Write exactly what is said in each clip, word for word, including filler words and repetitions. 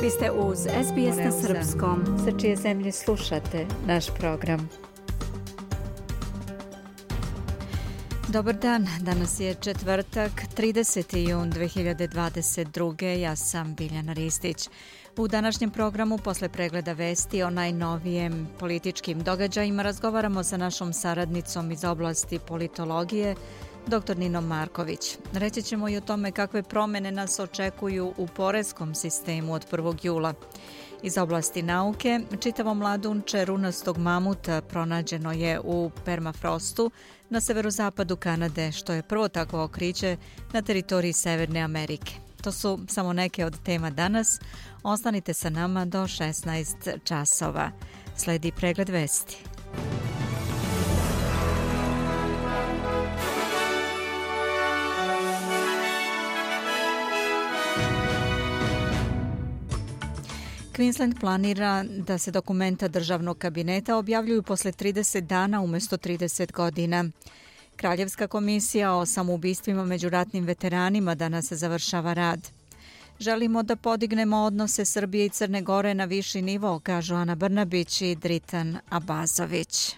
Vi ste uz S B S na srpskom, sa čije zemlje slušate naš program. Dobar dan, danas je četvrtak, trideseti jun dve hiljade dvadeset druge. Ja sam Biljana Ristić. U današnjem programu, posle pregleda vesti o najnovijem političkim događajima, razgovaramo sa našom saradnicom iz oblasti politologije, doktor Ninom Marković. Reći ćemo i o tome kakve promene nas očekuju u poreskom sistemu od prvog jula. Iz oblasti nauke, čitavo mladunče runastog mamuta pronađeno je u permafrostu na severozapadu Kanade, što je prvo takvo otkriće na teritoriji Severne Amerike. To su samo neke od tema danas. Ostanite sa nama do šesnaest časova. Sledi pregled vesti. Queensland planira da se dokumenta državnog kabineta objavljuju posle trideset dana umjesto trideset godina. Kraljevska komisija o samoubistvima među ratnim veteranima danas završava rad. Želimo da podignemo odnose Srbije i Crne Gore na viši nivo, kažu Ana Brnabić i Dritan Abazović.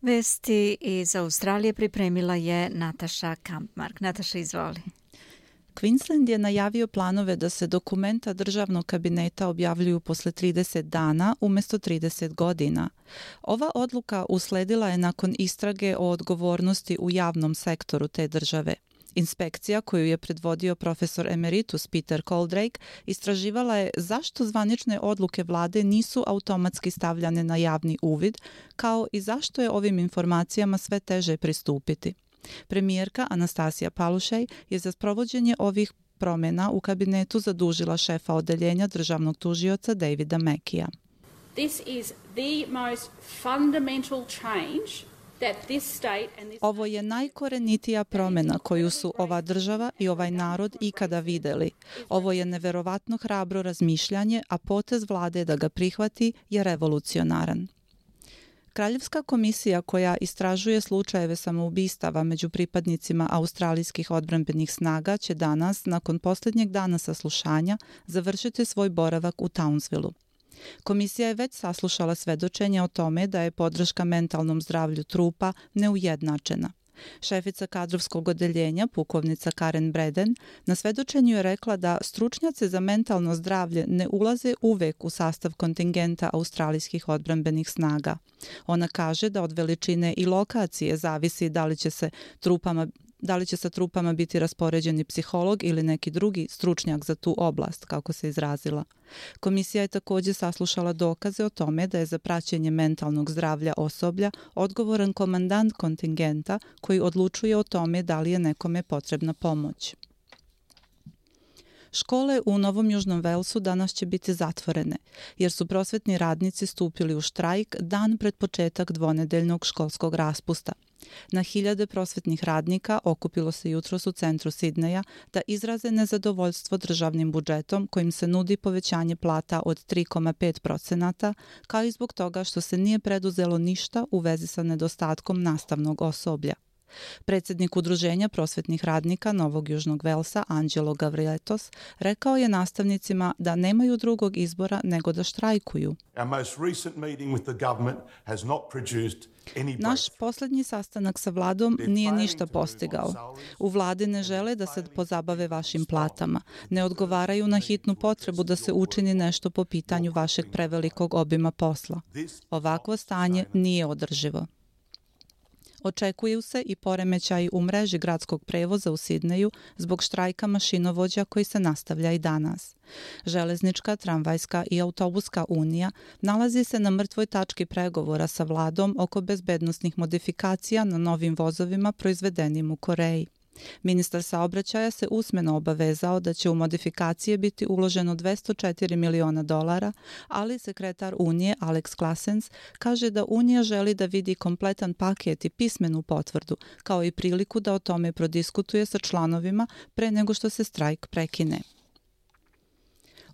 Vesti iz Australije pripremila je Nataša Kampmark. Nataša, izvoli. Queensland je najavio planove da se dokumenta državnog kabineta objavljuju posle trideset dana umjesto trideset godina. Ova odluka usledila je nakon istrage o odgovornosti u javnom sektoru te države. Inspekcija koju je predvodio profesor emeritus Peter Coldrake istraživala je zašto zvanične odluke vlade nisu automatski stavljane na javni uvid, kao i zašto je ovim informacijama sve teže pristupiti. Premijerka Anastasija Palaszczuk je za sprovođenje ovih promjena u kabinetu zadužila šefa odeljenja državnog tužioca Davida Mackija. This is the most fundamental change. Ovo je najkorenitija promjena koju su ova država i ovaj narod ikada videli. Ovo je neverovatno hrabro razmišljanje, a potez vlade da ga prihvati je revolucionaran. Kraljevska komisija koja istražuje slučajeve samoubistava među pripadnicima australijskih odbrambenih snaga će danas, nakon posljednjeg dana saslušanja, završiti svoj boravak u Townsvilleu. Komisija je već saslušala svedočenje o tome da je podrška mentalnom zdravlju trupa neujednačena. Šefica kadrovskog odeljenja, pukovnica Karen Breden, na svedočenju je rekla da stručnjaci za mentalno zdravlje ne ulaze uvek u sastav kontingenta australijskih odbrambenih snaga. Ona kaže da od veličine i lokacije zavisi da li će se trupama da li će sa trupama biti raspoređeni psiholog ili neki drugi stručnjak za tu oblast, kako se izrazila. Komisija je također saslušala dokaze o tome da je za praćenje mentalnog zdravlja osoblja odgovoran komandant kontingenta koji odlučuje o tome da li je nekome potrebna pomoć. Škole u Novom Južnom Velsu danas će biti zatvorene, jer su prosvetni radnici stupili u štrajk dan pred početak dvonedeljnog školskog raspusta. Na hiljade prosvetnih radnika okupilo se jutros u centru Sidneja da izraze nezadovoljstvo državnim budžetom kojim se nudi povećanje plata od tri zarez pet posto, kao i zbog toga što se nije preduzelo ništa u vezi sa nedostatkom nastavnog osoblja. Predsjednik Udruženja prosvetnih radnika Novog Južnog Velsa, Angelo Gavriletos, rekao je nastavnicima da nemaju drugog izbora nego da štrajkuju. Naš posljednji sastanak sa vladom nije ništa postigao. U vladi ne žele da se pozabave vašim platama. Ne odgovaraju na hitnu potrebu da se učini nešto po pitanju vašeg prevelikog obima posla. Ovakvo stanje nije održivo. Očekuju se i poremećaji u mreži gradskog prevoza u Sidneju zbog štrajka mašinovođa koji se nastavlja i danas. Železnička, tramvajska i autobuska unija nalazi se na mrtvoj tački pregovora sa vladom oko bezbednosnih modifikacija na novim vozovima proizvedenim u Koreji. Ministar saobraćaja se usmeno obavezao da će u modifikacije biti uloženo dvesta četiri miliona dolara, ali sekretar Unije Alex Klasens kaže da Unija želi da vidi kompletan paket i pismenu potvrdu, kao i priliku da o tome prodiskutuje sa članovima pre nego što se štrajk prekine.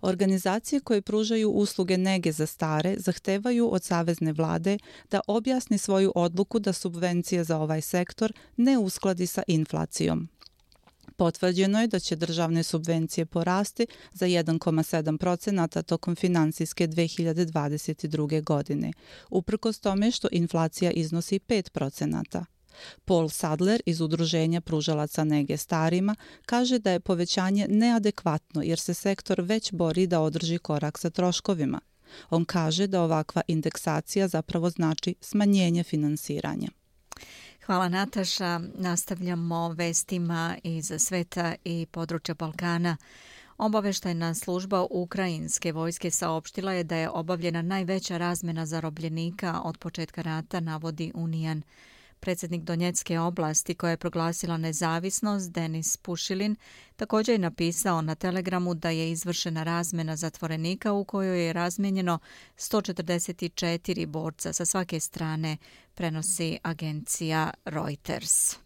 Organizacije koje pružaju usluge nege za stare zahtevaju od savezne vlade da objasni svoju odluku da subvencije za ovaj sektor ne uskladi sa inflacijom. Potvrđeno je da će državne subvencije porasti za jedan zarez sedam procenata tokom finansijske dve hiljade dvadeset druge. godine, uprkos tome što inflacija iznosi pet procenata. Paul Sadler iz Udruženja pružalaca nege starima kaže da je povećanje neadekvatno jer se sektor već bori da održi korak sa troškovima. On kaže da ovakva indeksacija zapravo znači smanjenje finansiranja. Hvala Nataša. Nastavljamo vestima iz sveta i područja Balkana. Obaveštajna služba ukrajinske vojske saopštila je da je obavljena najveća razmena zarobljenika od početka rata, navodi Unijan. Predsjednik Donjecke oblasti, koja je proglasila nezavisnost, Denis Pušilin, također je napisao na Telegramu da je izvršena razmena zatvorenika u kojoj je razmijenjeno sto četrdeset četiri borca sa svake strane, prenosi agencija Reuters.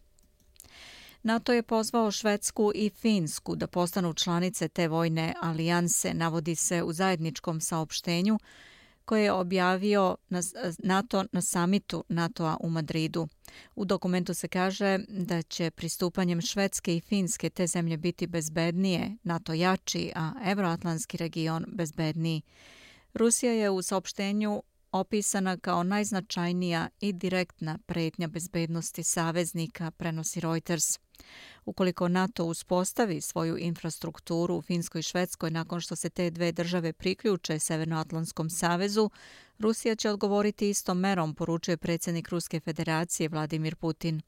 NATO je pozvao Švedsku i Finsku da postanu članice te vojne alijanse, navodi se u zajedničkom saopštenju koje je objavio NATO na samitu NATO-a u Madridu. U dokumentu se kaže da će pristupanjem Švedske i Finske te zemlje biti bezbednije, NATO jači, a evroatlantski region bezbedniji. Rusija je u saopštenju opisana kao najznačajnija i direktna pretnja bezbednosti saveznika, prenosi Reuters. Ukoliko NATO uspostavi svoju infrastrukturu u Finskoj i Švedskoj nakon što se te dve države priključe Severnoatlantskom savezu, Rusija će odgovoriti istom merom, poručuje predsjednik Ruske federacije Vladimir Putin.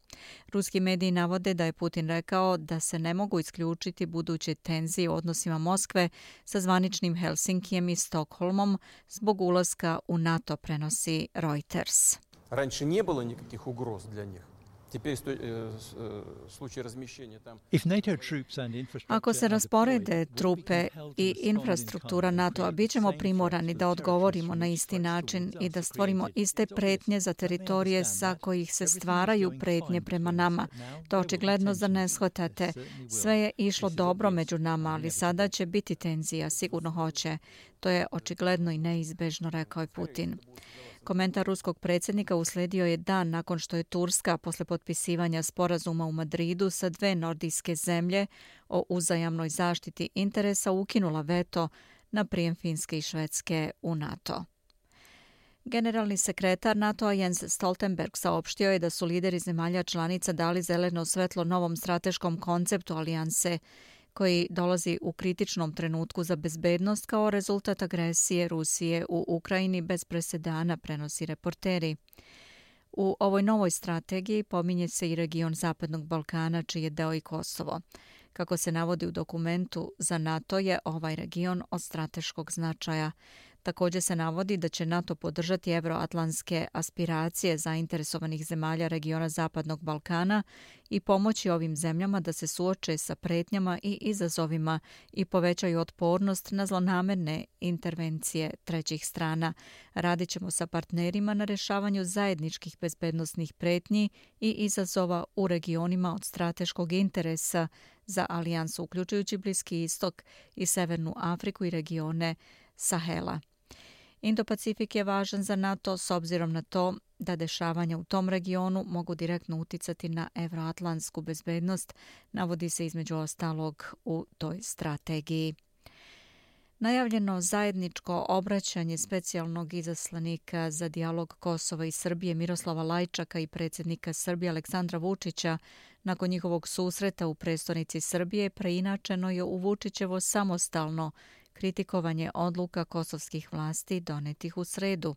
Ruski mediji navode da je Putin rekao da se ne mogu isključiti buduće tenzije u odnosima Moskve sa zvaničnim Helsinkijem i Stokholmom zbog ulaska u NATO, prenosi Reuters. Раньше не было никаких угроз для них. Ako se rasporede trupe i infrastruktura NATO-a, bit ćemo primorani da odgovorimo na isti način i da stvorimo iste pretnje za teritorije sa kojih se stvaraju pretnje prema nama. To očigledno da ne shvatate. Sve je išlo dobro među nama, ali sada će biti tenzija, sigurno hoće. To je očigledno i neizbežno, rekao je Putin. Komentar ruskog predsjednika uslijedio je dan nakon što je Turska posle potpisivanja sporazuma u Madridu sa dve nordijske zemlje o uzajamnoj zaštiti interesa ukinula veto na prijem Finske i Švedske u NATO. Generalni sekretar NATO-a Jens Stoltenberg saopštio je da su lideri zemalja članica dali zeleno svetlo novom strateškom konceptu alijanse koji dolazi u kritičnom trenutku za bezbednost kao rezultat agresije Rusije u Ukrajini bez presedana, prenosi reporteri. U ovoj novoj strategiji pominje se i region Zapadnog Balkana, čiji je deo i Kosovo. Kako se navodi u dokumentu, za NATO je ovaj region od strateškog značaja. Također se navodi da će NATO podržati evroatlantske aspiracije zainteresovanih zemalja regiona Zapadnog Balkana i pomoći ovim zemljama da se suoče sa pretnjama i izazovima i povećaju otpornost na zlonamerne intervencije trećih strana. Radit ćemo sa partnerima na rješavanju zajedničkih bezbednosnih pretnji i izazova u regionima od strateškog interesa za alijansu, uključujući Bliski istok i Severnu Afriku i regione Sahela. Indo-Pacifik je važan za NATO s obzirom na to da dešavanja u tom regionu mogu direktno uticati na evroatlantsku bezbednost, navodi se između ostalog u toj strategiji. Najavljeno zajedničko obraćanje specijalnog izaslanika za dijalog Kosova i Srbije Miroslava Lajčaka i predsjednika Srbije Aleksandra Vučića nakon njihovog susreta u prestonici Srbije preinačeno je u Vučićevo samostalno kritikovanje odluka kosovskih vlasti donetih u sredu.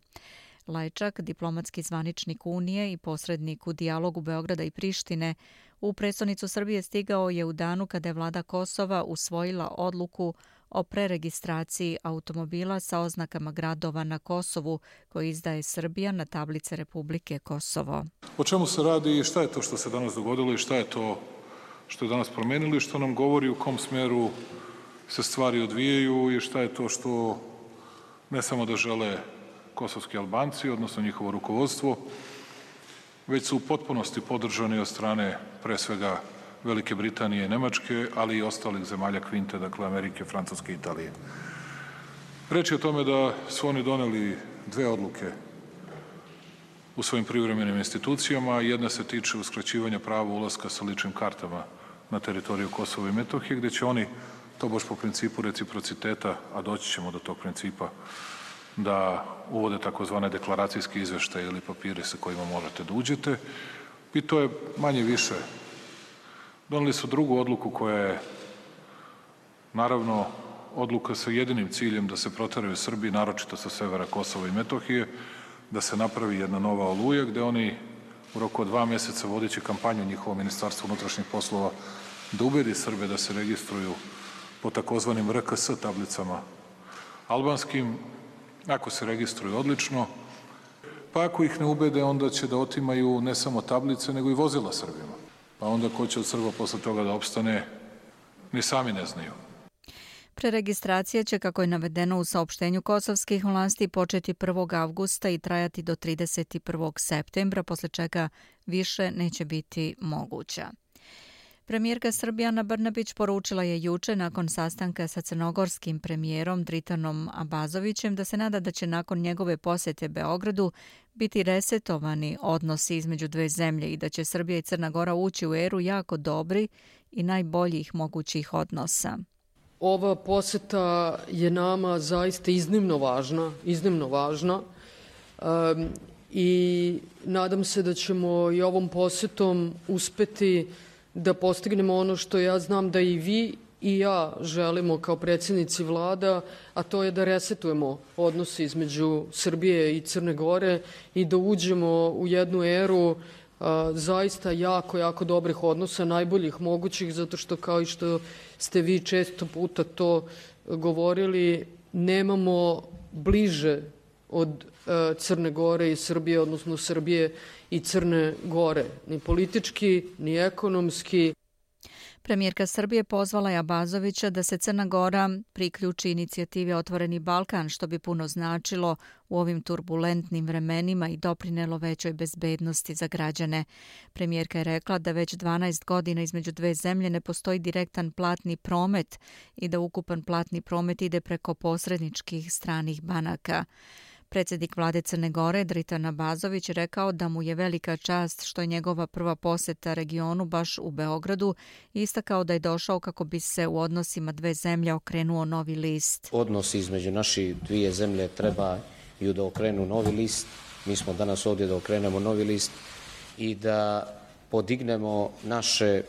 Lajčak, diplomatski zvaničnik Unije i posrednik u dijalogu Beograda i Prištine, u prestonicu Srbije stigao je u danu kada je vlada Kosova usvojila odluku o preregistraciji automobila sa oznakama gradova na Kosovu koji izdaje Srbija na tablice Republike Kosovo. O čemu se radi i šta je to što se danas dogodilo i šta je to što je danas promenilo i što nam govori u kom smjeru se stvari odvijaju i šta je to što ne samo da žele kosovski Albanci, odnosno njihovo rukovodstvo, već su u potpunosti podržani od strane pre svega Velike Britanije i Nemačke, ali i ostalih zemalja Kvinte, dakle Amerike, Francuske i Italije. Reč je o tome da su oni doneli dve odluke u svojim privremenim institucijama. Jedna se tiče uskraćivanja prava ulaska sa ličnim kartama na teritoriju Kosova i Metohije, gde će oni, to baš po principu reciprociteta, a doći ćemo do tog principa, da uvode takozvane deklaracijske izveštaje ili papire sa kojima možete da uđete. I to je manje više. Doneli su drugu odluku koja je, naravno, odluka sa jedinim ciljem da se proteraju Srbiji, naročito sa severa Kosova i Metohije, da se napravi jedna nova Oluja, gde oni u roku od dva meseca vodeći kampanju njihovo Ministarstvo unutrašnjih poslova da ubedi Srbe da se registruju po takozvanim R K S tablicama albanskim. Ako se registruju, odlično. Pa ako ih ne ubede, onda će da otimaju ne samo tablice, nego i vozila Srbima. Pa onda ko će od Srba posle toga da opstane, ni sami ne znaju. Preregistracija će, kako je navedeno u saopštenju kosovskih vlasti, početi prvog avgusta i trajati do trideset prvog septembra, posle čega više neće biti moguća. Premijerka Srbije Ana Brnabić poručila je juče nakon sastanka sa crnogorskim premijerom Dritanom Abazovićem da se nada da će nakon njegove posete Beogradu biti resetovani odnosi između dve zemlje i da će Srbija i Crna Gora ući u eru jako dobri i najboljih mogućih odnosa. Ova poseta je nama zaista iznimno važna, iznimno važna um, i nadam se da ćemo i ovom posetom uspeti da postignemo ono što ja znam da i vi i ja želimo kao predsjednici vlada, a to je da resetujemo odnose između Srbije i Crne Gore i da uđemo u jednu eru a, zaista jako, jako dobrih odnosa, najboljih mogućih, zato što kao i što ste vi često puta to govorili, nemamo bliže od a, Crne Gore i Srbije, odnosno Srbije i Crne Gore, ni politički, ni ekonomski. Premijerka Srbije pozvala je Abazovića da se Crna Gora priključi inicijativi Otvoreni Balkan, što bi puno značilo u ovim turbulentnim vremenima i doprinelo većoj bezbednosti za građane. Premijerka je rekla da već dvanaest godina između dve zemlje ne postoji direktan platni promet i da ukupan platni promet ide preko posredničkih stranih banaka. Predsjednik vlade Crne Gore, Dritan Abazović, rekao da mu je velika čast što je njegova prva poseta regionu baš u Beogradu i istakao da je došao kako bi se u odnosima dve zemlje okrenuo novi list. Odnosi između naših dvije zemlje treba i da okrenu novi list. Mi smo danas ovdje da okrenemo novi list i da podignemo naše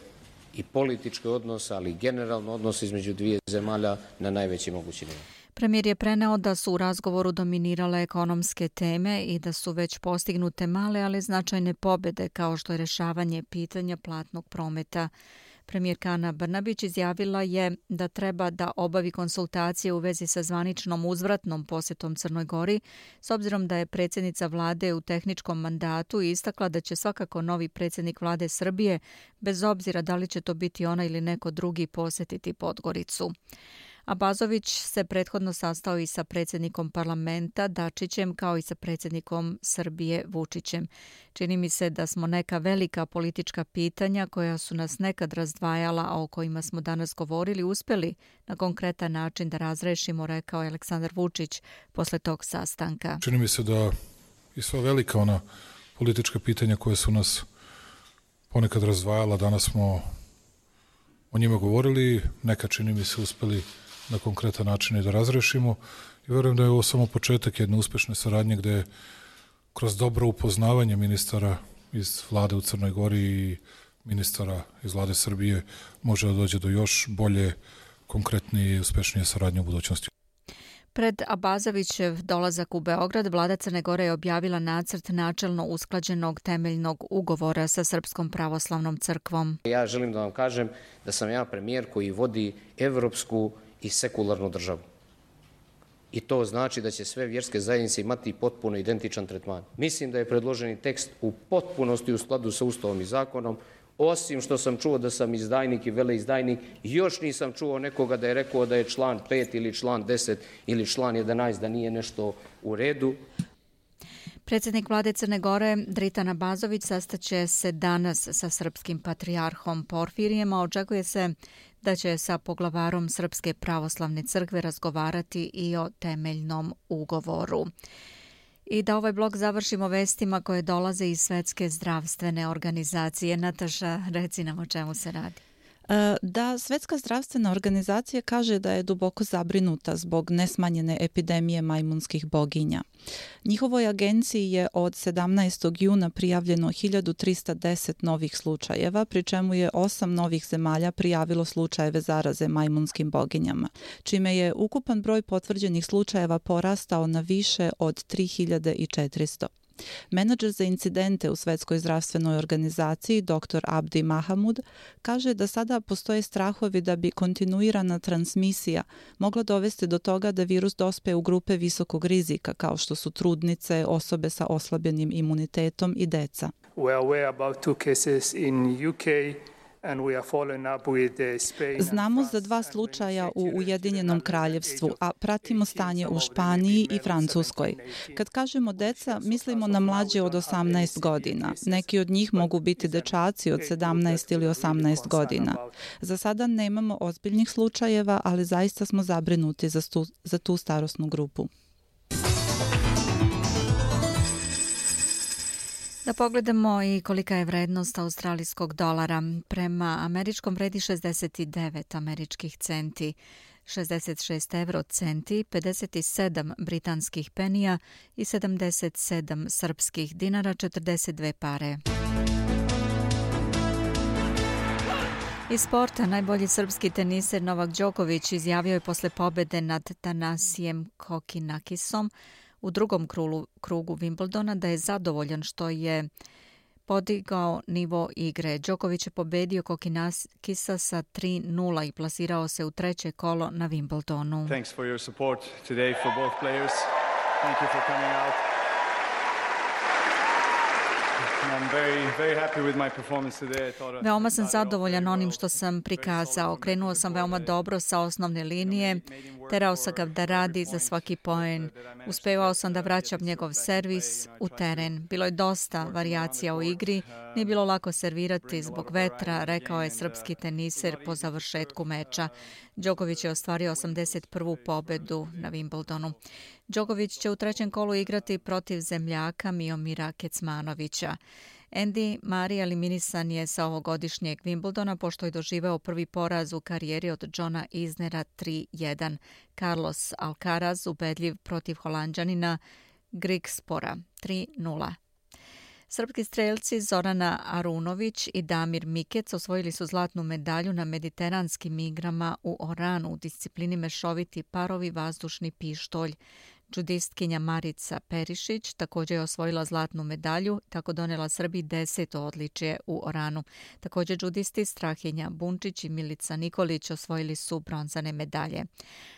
i političke odnose, ali i generalno odnose između dvije zemalja na najveći mogući nivo. Premijer je preneo da su u razgovoru dominirale ekonomske teme i da su već postignute male, ali značajne pobjede, kao što je rješavanje pitanja platnog prometa. Premijerka Ana Brnabić izjavila je da treba da obavi konsultacije u vezi sa zvaničnom uzvratnom posjetom Crnoj Gori, s obzirom da je predsjednica vlade u tehničkom mandatu i istakla da će svakako novi predsjednik vlade Srbije, bez obzira da li će to biti ona ili neko drugi, posjetiti Podgoricu. Abazović se prethodno sastao i sa predsjednikom parlamenta Dačićem, kao i sa predsjednikom Srbije Vučićem. Čini mi se da smo neka velika politička pitanja koja su nas nekad razdvajala, a o kojima smo danas govorili, uspjeli na konkretan način da razrešimo, rekao je Aleksandar Vučić posle tog sastanka. Čini mi se da i sva velika ona politička pitanja koje su nas ponekad razdvajala, danas smo o njima govorili, neka čini mi se uspjeli na konkretan način i da razrešimo i verujem da je ovo samo početak jedne uspešne saradnje gde kroz dobro upoznavanje ministara iz vlade u Crnoj Gori i ministara iz vlade Srbije može da dođe do još bolje, konkretnije i uspešnije saradnje u budućnosti. Pred Abazovićev dolazak u Beograd, vlada Crne Gore je objavila nacrt načelno usklađenog temeljnog ugovora sa Srpskom pravoslavnom crkvom. Ja želim da vam kažem da sam ja premijer koji vodi evropsku i sekularnu državu. I to znači da će sve vjerske zajednice imati potpuno identičan tretman. Mislim da je predloženi tekst u potpunosti u skladu sa Ustavom i zakonom, osim što sam čuo da sam izdajnik i veleizdajnik, još nisam čuo nekoga da je rekao da je član pet ili član deset ili član jedanaest da nije nešto u redu. Predsjednik vlade Crne Gore Dritan Abazović sastaće se danas sa srpskim patrijarhom Porfirijem, a očekuje se da će sa poglavarom Srpske pravoslavne crkve razgovarati i o temeljnom ugovoru. I da ovaj blog završimo vestima koje dolaze iz Svetske zdravstvene organizacije. Nataša, reci nam o čemu se radi. Da, Svetska zdravstvena organizacija kaže da je duboko zabrinuta zbog nesmanjene epidemije majmunskih boginja. Njihovoj agenciji je od sedamnaestog juna prijavljeno hiljadu trista deset novih slučajeva, pri čemu je osam novih zemalja prijavilo slučajeve zaraze majmunskim boginjama, čime je ukupan broj potvrđenih slučajeva porastao na više od tri hiljade četiristo. Menadžer za incidente u Svetskoj zdravstvenoj organizaciji doktor Abdi Mahamud kaže da sada postoje strahovi da bi kontinuirana transmisija mogla dovesti do toga da virus dospe u grupe visokog rizika kao što su trudnice, osobe sa oslabljenim imunitetom i deca. We are aware about two cases in U K. Znamo za dva slučaja u Ujedinjenom kraljevstvu, a pratimo stanje u Španiji i Francuskoj. Kad kažemo deca, mislimo na mlađe od osamnaest godina. Neki od njih mogu biti dečaci od sedamnaest ili osamnaest godina. Za sada nemamo ozbiljnih slučajeva, ali zaista smo zabrinuti za, stu, za tu starosnu grupu. Da pogledamo i kolika je vrednost australijskog dolara. Prema američkom vredi šezdeset devet američkih centi, šezdeset šest euro centi, pedeset sedam britanskih penija i sedamdeset sedam srpskih dinara, četrdeset dve pare. Iz sporta najbolji srpski teniser Novak Đoković izjavio je posle pobede nad Tanasijem Kokinakisom u drugom krugu, krugu Wimbledona da je zadovoljan što je podigao nivo igre. Đoković je pobedio Kokinakisa sa tri nula i plasirao se u treće kolo na Wimbledonu. Thanks for your support today for both players. Thank you for coming out. I'm very, very happy with my performance today. I thought Veoma sam zadovoljan onim što sam prikazao. Krenuo sam veoma dobro sa osnovne linije. Terao sam ga da radi za svaki poen. Uspevao sam da vraćam njegov servis u teren. Bilo je dosta varijacija u igri. Nije bilo lako servirati zbog vetra, rekao je srpski teniser po završetku meča. Đoković je ostvario osamdeset prvu pobedu na Wimbledonu. Đoković će u trećem kolu igrati protiv zemljaka Miomira Kecmanovića. Andy Murray eliminisan je sa ovogodišnjeg Wimbledona pošto je doživeo prvi poraz u karijeri od Johna Isnera tri jedan. Carlos Alcaraz ubedljiv protiv Holanđanina Grigspora tri nula. Srpski strelci Zorana Arunović i Damir Mikec osvojili su zlatnu medalju na mediteranskim igrama u Oranu u disciplini mešoviti parovi vazdušni pištolj. Džudistkinja Marica Perišić također je osvojila zlatnu medalju, tako donela Srbiji deseto odličje u Oranu. Također džudisti Strahinja Bunčić i Milica Nikolić osvojili su bronzane medalje.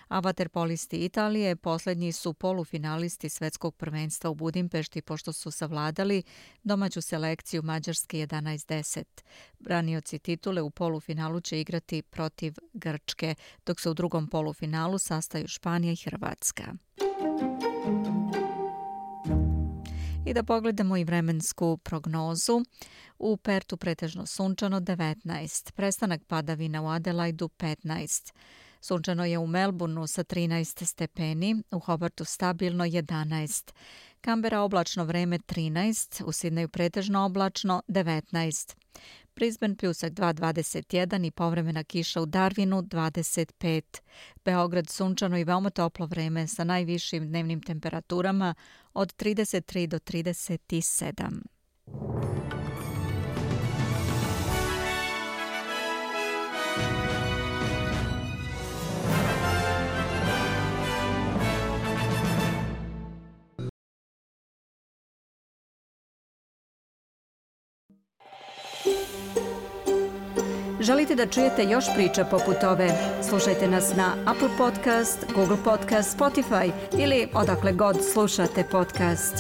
A vaterpolisti Italije posljednji su polufinalisti svetskog prvenstva u Budimpešti pošto su savladali domaću selekciju Mađarske jedanaest deset. Branioci titule u polufinalu će igrati protiv Grčke, dok se u drugom polufinalu sastaju Španija i Hrvatska. I da pogledamo i vremensku prognozu. U Pertu pretežno sunčano devetnaest, prestanak padavina u Adelaidu petnaest. Sunčano je u Melbourneu sa trinaest stepeni, u Hobartu stabilno jedanaest. Kambera oblačno vreme trinaest, u Sidneju pretežno oblačno devetnaest. Brisbane pljusak dva dvadeset jedan i povremena kiša u Darwinu dvadeset pet. Beograd sunčano i veoma toplo vreme sa najvišim dnevnim temperaturama od trideset tri do trideset sedam. Želite da čujete još priča poput ove? Slušajte nas na Apple Podcast, Google Podcast, Spotify ili odakle god slušate podcast.